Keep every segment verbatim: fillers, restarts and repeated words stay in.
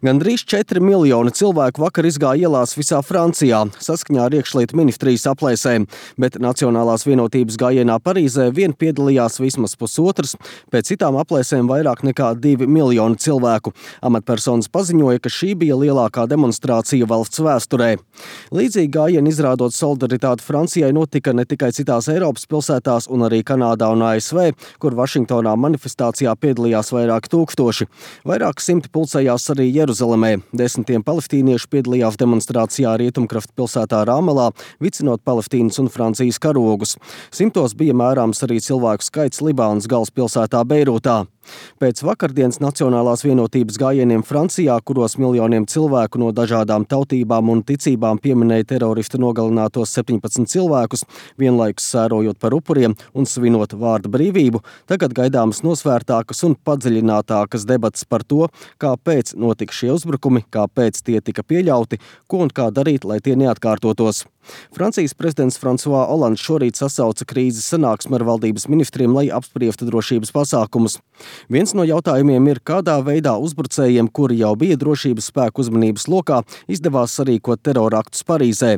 Gandrīz četri miljoni cilvēku vakar izgāja ielās visā Francijā, saskaņā ar iekšlietu ministrijas aplēsēm, bet Nacionālās vienotības gājienā Parīzē vien piedalījās vismaz pusotrs, pēc citām aplēsēm vairāk nekā divi miljoni cilvēku. Amatpersonas paziņoja, ka šī bija lielākā demonstrācija valsts vēsturē. Līdzīgi gājieni izrādot solidaritāti Francijai notika ne tikai citās Eiropas pilsētās un arī Kanādā un A S V, kur Vašingtonā manifestācijā piedalījās vairāki tūkstoši. Vairāk simti pulcējās arī Jeruzalemē. Desmitiem palestīniešu piedalījās demonstrācijā Rietumkrasta pilsētā Rāmalā, vicinot Palestīnas un Francijas karogus. Simtos bija mērāms arī cilvēku skaits Libānas galvaspilsētā Beirūtā. Pēc vakardienas Nacionālās vienotības gājieniem Francijā, kuros miljoniem cilvēku no dažādām tautībām un ticībām pieminēja teroristu nogalinātos septiņpadsmit cilvēkus, vienlaikus sērojot par upuriem un svinot vārda brīvību, tagad gaidāmas nosvērtākas un padziļinātākas debatas par to, kāpēc notika šie uzbrukumi, kāpēc tie tika pieļauti, ko un kā darīt, lai tie neatkārtotos. Francijas prezidents François Hollands šorīt sasauca krīzes sanāksmi ar valdības ministriem, lai apspriestu drošības pasākumus. Viens no jautājumiem ir, kādā veidā uzbrucējiem, kuri jau bija drošības spēku uzmanības lokā, izdevās sarīkot teroraktus Parīzē.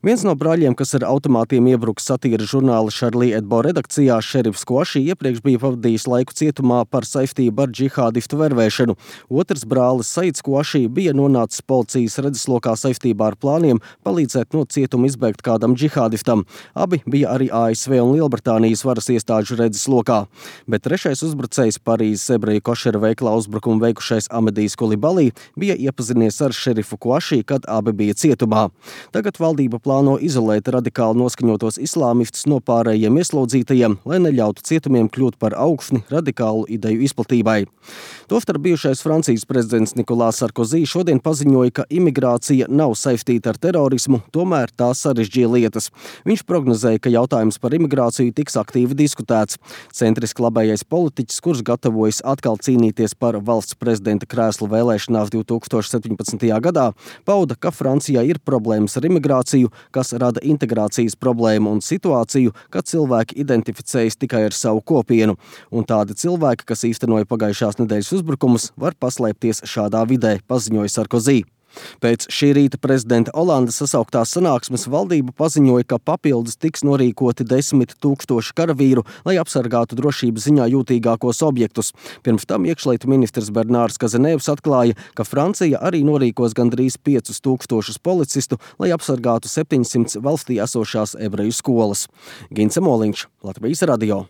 Viens no brāļiem, kas ar automātiem iebruka satīra žurnāla Charlie Hebdo redakcijā, šerifs Kouachi, iepriekš bija pavadījis laiku cietumā par saistību ar džihādistu vervēšanu. Otrs brālis Saids Kouachi bija nonācis policijas redzeslokā saistībā ar plāniem palīdzēt no cietuma izbēgt kādam džihādistam. Abi bija arī A S V un Lielbritānijas varas iestāžu redzeslokā. Bet trešais uzbrucējs, Parīzes ebreju košera veikalā uzbrukumu veikušais Amedijs Kulibalī, bija iepazinies ar šerifu Kouachi, kad abi bija cietumā. Tagad valdība plāno izolēt radikāli noskaņotos islāmistus no pārējiem ieslodzītajiem, lai neļautu cietumiem kļūt par augsni radikālu ideju izplatībai. Tostarp bijušais Francijas prezidents Nicolas Sarkozy šodien paziņoja, ka imigrācija nav saistīta ar terorismu, tomēr tā sarežģīja lietas. Viņš prognozēja, ka jautājums par imigrāciju tiks aktīvi diskutēts. Centriski labējais politiķis, kurš gatavojas atkal cīnīties par valsts prezidenta krēslu vēlēšanās divi tūkstoši septiņpadsmitajā gadā, pauda, ka Francijā ir problēmas ar imigrāciju, kas rada integrācijas problēmu un situāciju, kad cilvēki identificējas tikai ar savu kopienu. Un tādi cilvēki, kas īstenoja pagājušās nedēļas uzbrukumus, var paslēpties šādā vidē, paziņoja Sarkozy. Pēc šī rīta prezidenta Holanda sasauktās sanāksmes valdība paziņoja, ka papildus tiks norīkoti desmit tūkstoši karavīru, lai apsargātu drošības ziņā jūtīgākos objektus. Pirms tam iekšlietu ministrs Bernārs Kazenēvs atklāja, ka Francija arī norīkos gandrīz piecus tūkstošus policistu, lai apsargātu septiņsimt valstī esošās ebreju skolas. Gints Moliņš, Latvijas radio.